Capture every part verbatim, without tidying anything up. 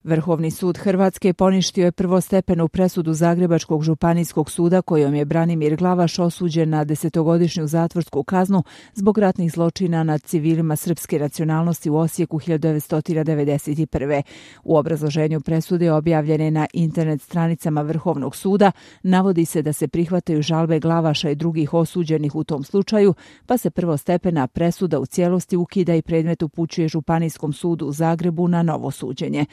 Vrhovni sud Hrvatske poništio je prvostepenu presudu Zagrebačkog županijskog suda kojom je Branimir Glavaš osuđen na desetogodišnju zatvorsku kaznu zbog ratnih zločina nad civilima srpske nacionalnosti u Osijeku hiljadu devetsto devedeset prve. U obrazloženju presude objavljene na internet stranicama Vrhovnog suda navodi se da se prihvataju žalbe Glavaša i drugih osuđenih u tom slučaju, pa se prvostepena presuda u cijelosti ukida i predmet upućuje Županijskom sudu u Zagrebu na novo suđenje.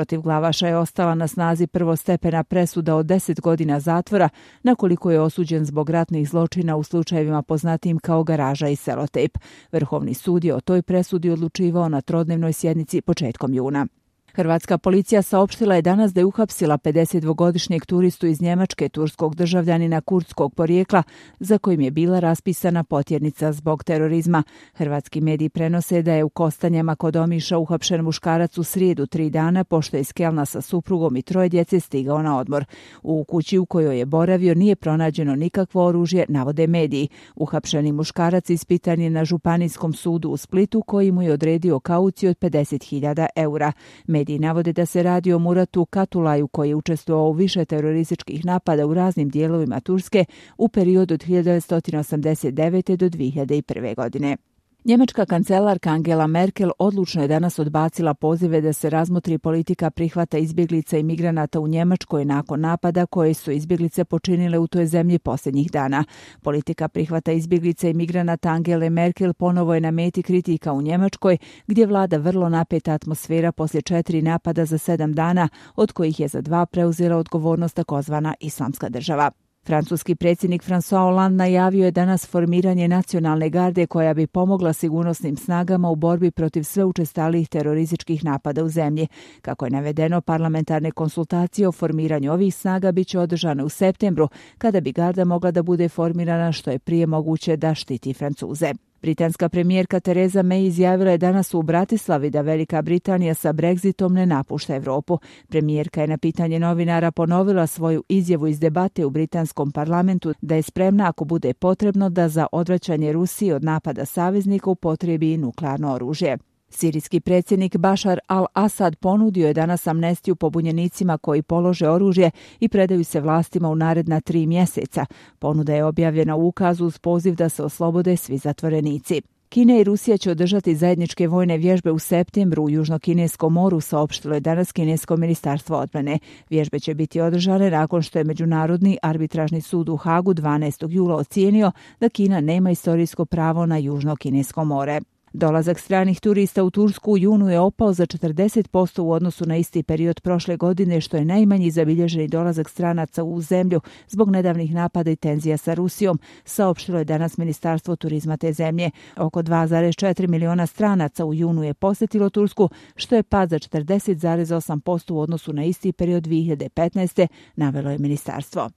Protiv Glavaša je ostala na snazi prvostepena presuda od deset godina zatvora, na koliko je osuđen zbog ratnih zločina u slučajevima poznatijim kao Garaža i Selotejp. Vrhovni sud je o toj presudi odlučivao na trodnevnoj sjednici početkom juna. Hrvatska policija saopštila je danas da je uhapsila pedesetdvogodišnjeg turistu iz Njemačke, turskog državljanina kurdskog porijekla, za kojim je bila raspisana potjernica zbog terorizma. Hrvatski mediji prenose da je u Kostanjama kod Omiša uhapšen muškarac u srijedu tri dana pošto je iz Kelna sa suprugom i troje djece stigao na odmor. U kući u kojoj je boravio nije pronađeno nikakvo oružje, navode mediji. Uhapšeni muškarac ispitan je na Županijskom sudu u Splitu koji mu je odredio kauciju od pedeset hiljada eura. Mediji navode da se radi o Muratu Katulaju koji je učestvovao u više terorističkih napada u raznim dijelovima Turske u periodu od hiljadu devetsto osamdeset devete. do dvije hiljade prve. godine. Njemačka kancelarka Angela Merkel odlučno je danas odbacila pozive da se razmotri politika prihvata izbjeglica i migranata u Njemačkoj nakon napada koje su izbjeglice počinile u toj zemlji posljednjih dana. Politika prihvata izbjeglica i migranata Angele Merkel ponovo je na meti kritika u Njemačkoj, gdje vlada vrlo napeta atmosfera poslije četiri napada za sedam dana, od kojih je za dva preuzela odgovornost takozvana Islamska država. Francuski predsjednik François Hollande najavio je danas formiranje nacionalne garde koja bi pomogla sigurnosnim snagama u borbi protiv sve učestalijih terorističkih napada u zemlji. Kako je navedeno, parlamentarne konsultacije o formiranju ovih snaga bit će održane u septembru, kada bi garda mogla da bude formirana što je prije moguće da štiti Francuze. Britanska premijerka Theresa May izjavila je danas u Bratislavi da Velika Britanija sa Brexitom ne napušta Europu. Premijerka je na pitanje novinara ponovila svoju izjavu iz debate u britanskom parlamentu da je spremna ako bude potrebno da za odvraćanje Rusije od napada saveznika upotrebi nuklearno oružje. Sirijski predsjednik Bašar al-Asad ponudio je danas amnestiju pobunjenicima koji polože oružje i predaju se vlastima u naredna tri mjeseca. Ponuda je objavljena u ukazu uz poziv da se oslobode svi zatvorenici. Kina i Rusija će održati zajedničke vojne vježbe u septembru u Južno-kineskom moru, saopštilo je danas kinesko ministarstvo odbrane. Vježbe će biti održane nakon što je Međunarodni arbitražni sud u Hagu dvanaestog jula ocijenio da Kina nema istorijsko pravo na Južno-kinesko more. Dolazak stranih turista u Tursku u junu je opao za četrdeset posto u odnosu na isti period prošle godine, što je najmanji zabilježeni dolazak stranaca u zemlju zbog nedavnih napada i tenzija sa Rusijom, saopštilo je danas Ministarstvo turizma te zemlje. Oko dva zarez četiri miliona stranaca u junu je posjetilo Tursku, što je pad za četrdeset zarez osam posto u odnosu na isti period dvije hiljade petnaeste, navelo je ministarstvo.